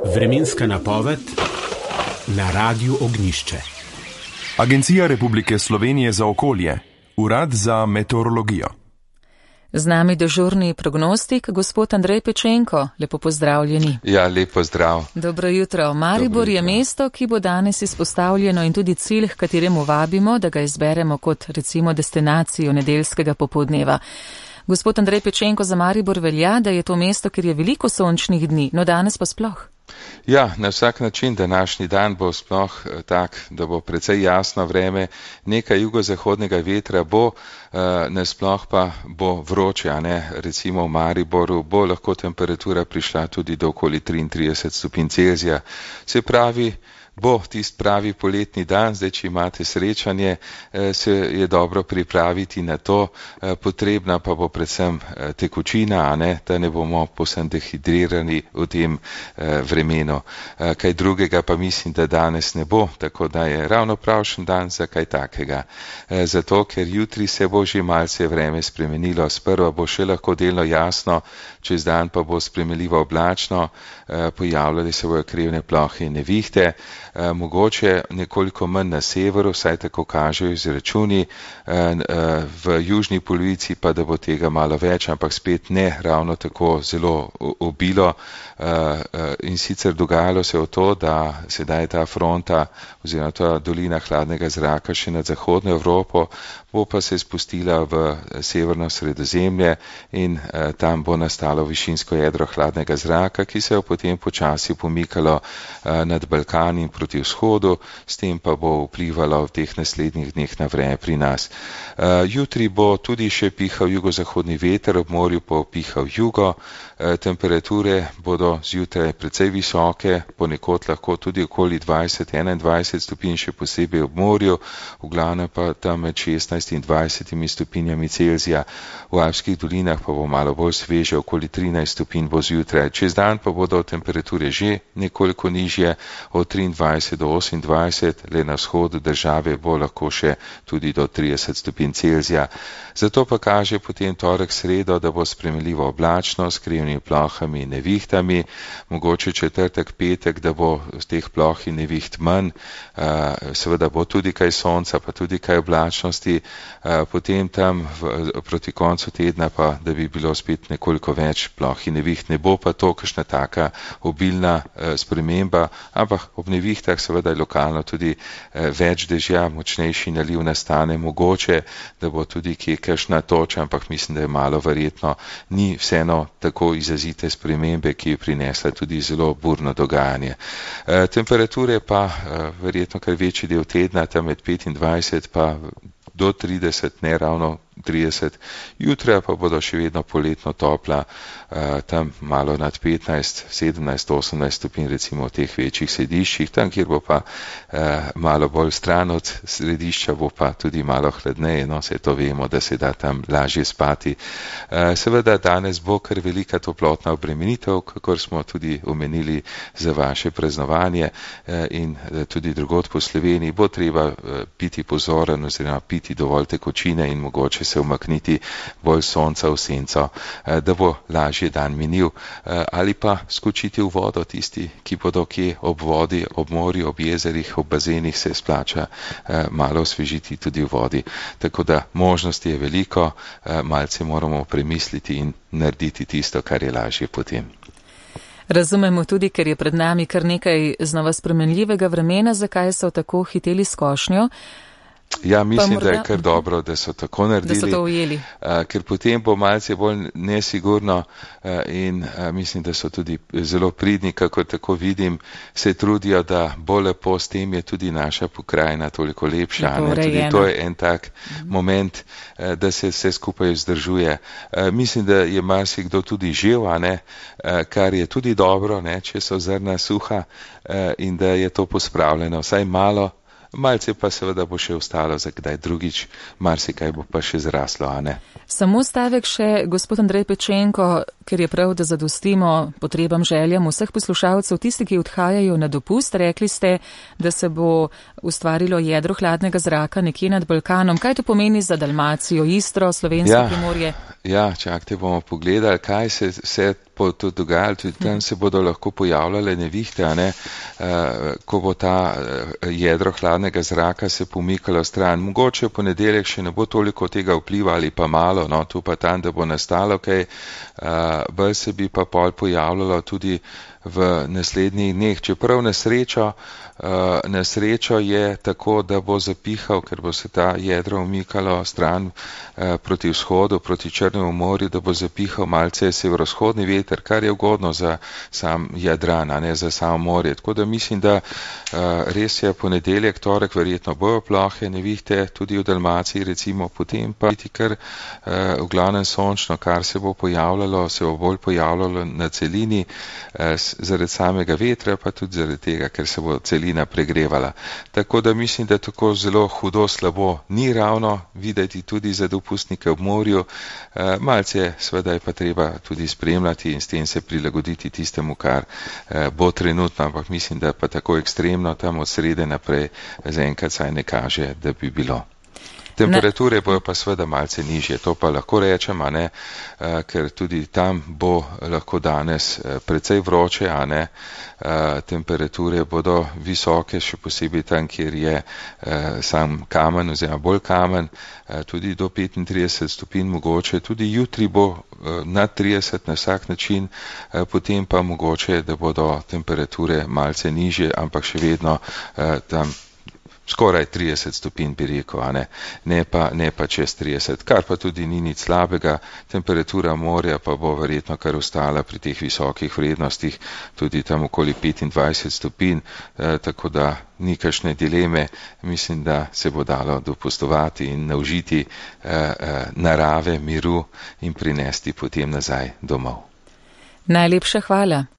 Vremenska napoved na Radiu Ognjišče. Agencija Republike Slovenije za okolje, Urad za meteorologijo. Z nami dežurni prognostik, gospod Andrej Pečenko. Lepo pozdravljeni. Ja, lepo zdrav. Dobro jutro. Maribor je mesto, ki bo danes izpostavljeno in tudi cilj, k kateremu vabimo, da ga izberemo kot recimo destinacijo nedeljskega popoldneva. Gospod Andrej Pečenko, za Maribor velja, da je to mesto, kjer je veliko sončnih dni, no danes pa sploh. Ja, na vsak način današnji dan bo sploh tak, da bo precej jasno vreme, nekaj jugozahodnega vetra bo, nasploh pa bo vroče, a ne, recimo v Mariboru bo lahko temperatura prišla tudi do okoli 33 stopinj Celzija. Se pravi, bo tist pravi poletni dan, zdaj, če imate srečanje, se je dobro pripraviti na to, potrebna pa bo predvsem tekočina, a ne, da ne bomo povsem dehidrirani v tem vremenu. Kaj drugega pa mislim, da danes ne bo, tako da je ravno pravšen dan za kaj takega. Zato, ker jutri se bo že malce vreme spremenilo, sprva bo še lahko delno jasno, čez dan pa bo spremenljivo oblačno, pojavljali se bojo krivne plohe in nevihte, mogoče nekoliko manj na severu, saj tako kažejo izračuni, v južni polovici pa da bo tega malo več, ampak spet ne ravno tako zelo obilo. In sicer dogajalo se je to, da sedaj ta fronta oziroma ta dolina hladnega zraka še nad zahodno Evropo, bo pa se spustila v severno Sredozemlje in tam bo nastalo višinsko jedro hladnega zraka, ki se je potem počasi pomikalo nad Balkan in proti vzhodu, s tem pa bo vplivalo v teh naslednjih dneh na vreme pri nas. Jutri bo tudi še pihal jugozahodni veter, ob morju pa pihal jugo, temperature bodo zjutraj precej visoke, ponekod lahko tudi okoli 20-21 stopinj, še posebej ob morju, v glavnem pa tam med 16 in 20 stopinjami Celzija. V Alpskih dolinah pa bo malo bolj sveže, okoli 13 stopinj bo zjutraj. Čez dan pa bodo temperature že nekoliko nižje, od 23 do 28, le na vzhodu države bo lahko še tudi do 30 stopinj Celzija. Zato pa kaže potem torek, sredo, da bo spremenljivo oblačno, s krivnimi plohami in nevihtami, mogoče četrtek, petek, da bo z teh ploh in neviht manj, seveda bo tudi kaj sonca, pa tudi kaj oblačnosti, potem tam proti koncu tedna pa, da bi bilo spet nekoliko več ploh in neviht, ne bo pa to kakšna taka obilna sprememba, ampak ob nevihtah seveda je lokalno tudi več dežja, močnejši naliv nastane, mogoče, da bo tudi kje kakšna toča, ampak mislim, da je malo verjetno, ni vseeno tako izrazite spremembe, ki je prinesla tudi zelo burno dogajanje. Temperature pa verjetno kar večji del tedna, tam med 25 pa do 30, ne ravno 30, jutra pa bodo še vedno poletno topla, tam malo nad 15, 17, 18 stopinj recimo v teh večjih središčih, tam kjer bo pa malo bolj stran od središča, bo pa tudi malo hladneje, no se to vemo, da se da tam lažje spati. Seveda danes bo kar velika toplotna obremenitev, kakor smo tudi omenili za vaše praznovanje in tudi drugod po Sloveniji, bo treba biti pozoren oziroma piti dovolj tekočine in mogoče se umakniti bolj sonca v senco, da bo lažje dan minil, ali pa skočiti v vodo tisti, ki bodo kje ob vodi, ob morju, ob jezerih, ob bazenih, se splača malo osvežiti tudi v vodi. Tako da možnosti je veliko, malce moramo premisliti in narediti tisto, kar je lažje potem. Razumemo tudi, ker je pred nami kar nekaj znova spremenljivega vremena, zakaj so tako hiteli s košnjo. Ja, mislim, da je kar dobro, da so tako naredili, da so to ujeli. Ker potem bo malce bolj nesigurno in mislim, da so tudi zelo pridni, kako tako vidim, se trudijo, da bo lepo, s tem je tudi naša pokrajina toliko lepša. Tudi to je en tak moment, da se vse skupaj vzdržuje. Mislim, da je marsikdo tudi živ, a ne, kar je tudi dobro, ne, če so zrna suha in da je to pospravljeno, vsaj malo. Malce pa seveda bo še ostalo za kdaj drugič, marsikaj bo pa še zraslo, a ne? Samo stavek še, gospod Andrej Pečenko, ker je prav, da zadostimo potrebam, željam vseh poslušalcev, tisti, ki odhajajo na dopust. Rekli ste, da se bo ustvarilo jedro hladnega zraka nekje nad Balkanom. Kaj to pomeni za Dalmacijo, Istro, Slovensko Primorje? Ja, čakajte, bomo pogledali, kaj se vse bo tudi dogajalo, tudi tam se bodo lahko pojavljale nevihte, ko bo ta jedro hladnega zraka se pomikalo stran. Mogoče v ponedeljek še ne bo toliko tega vpliva ali pa malo, no, tu pa tam, da bo nastalo kaj, bolj se bi pa pol pojavljalo tudi v naslednjih dneh. Čeprav nesrečo je tako, da bo zapihal, ker bo se ta jedro umikalo stran proti vzhodu, proti Črnemu morju, da bo zapihal malce severovzhodni veter, kar je ugodno za sam Jadran, a ne za samo morje. Tako da mislim, da res je ponedeljek, torek verjetno bojo plohe nevihte, tudi v Dalmaciji recimo, potem pa biti kar v glavnem sončno, kar se bo pojavljalo, se bo bolj pojavljalo na celini, zaradi samega vetra, pa tudi zaradi tega, ker se bo celina pregrevala. Tako da mislim, da tako zelo hudo slabo ni ravno videti tudi za dopustnike ob morju. Malce seveda je pa treba tudi spremljati in s tem se prilagoditi tistemu, kar bo trenutno, ampak mislim, da pa tako ekstremno tam od srede naprej zaenkrat saj ne kaže, da bi bilo. Temperature bojo pa seveda malce nižje, to pa lahko rečem, a ne, ker tudi tam bo lahko danes precej vroče, a ne, temperature bodo visoke, še posebej tam, kjer je sam kamen oziroma bolj kamen, tudi do 35 stopinj mogoče, tudi jutri bo nad 30 na vsak način, potem pa mogoče, da bodo temperature malce nižje, ampak še vedno tam skoraj 30 stopinj bi rekel, a ne pa čez 30, kar pa tudi ni nič slabega. Temperatura morja pa bo verjetno kar ostala pri teh visokih vrednostih, tudi tam okoli 25 stopinj, tako da ni kakšne dileme. Mislim, da se bo dalo dopustovati in naužiti narave, miru in prinesti potem nazaj domov. Najlepša hvala.